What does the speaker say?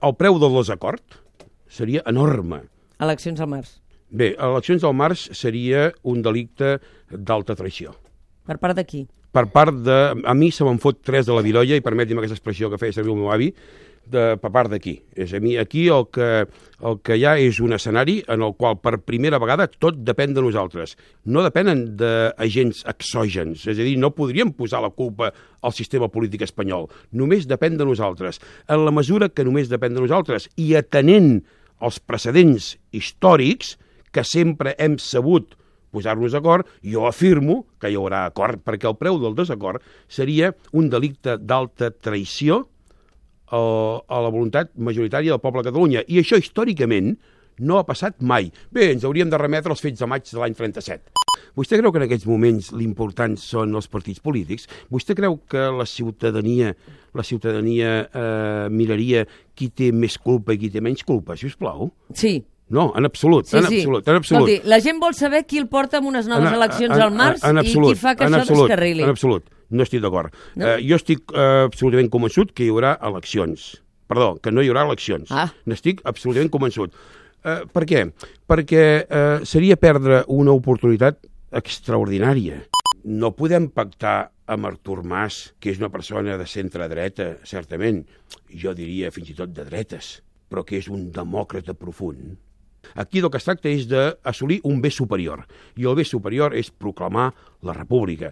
el preu del desacord seria enorme. Eleccions al març. Bé, eleccions al març seria un delicte d'alta traïció. Per part de qui? Per part de... A mi se me'n fot 3 de la virolla, i permeti'm aquesta expressió que feia servir el meu avi, per part d'aquí. És a mi, aquí el que hi ha és un escenari en el qual per primera vegada tot depèn de nosaltres. No depenen d'agents exògens, és a dir, no podríem posar la culpa al sistema polític espanyol. Només depèn de nosaltres. En la mesura que només depèn de nosaltres i atenent els precedents històrics que sempre hem sabut posar-nos d'acord, jo afirmo que hi haurà acord, perquè el preu del desacord seria un delicte d'alta traïció a la voluntat majoritària del poble de Catalunya. I això, històricament, no ha passat mai. Bé, ens hauríem de remetre als fets de maig de l'any 37. Vostè creu que en aquests moments l'important són els partits polítics? Vostè creu que la ciutadania miraria qui té més culpa i qui té menys culpa, si us plau? Sí. No, en absolut, sí, en absolut. Escolti, la gent vol saber qui el porta amb unes noves eleccions al març i qui fa que això descarrili. En absolut, no estic d'acord. No? Jo estic absolutament convençut que hi haurà eleccions. Perdó, que no hi haurà eleccions. N'estic absolutament convençut. Per què? Perquè seria perdre una oportunitat extraordinària. No podem pactar amb Artur Mas, que és una persona de centre-dreta, certament, jo diria fins i tot de dretes, però que és un demòcrata profund. Aquí del que es tracta és d'assolir un bé superior, i el bé superior és proclamar la república.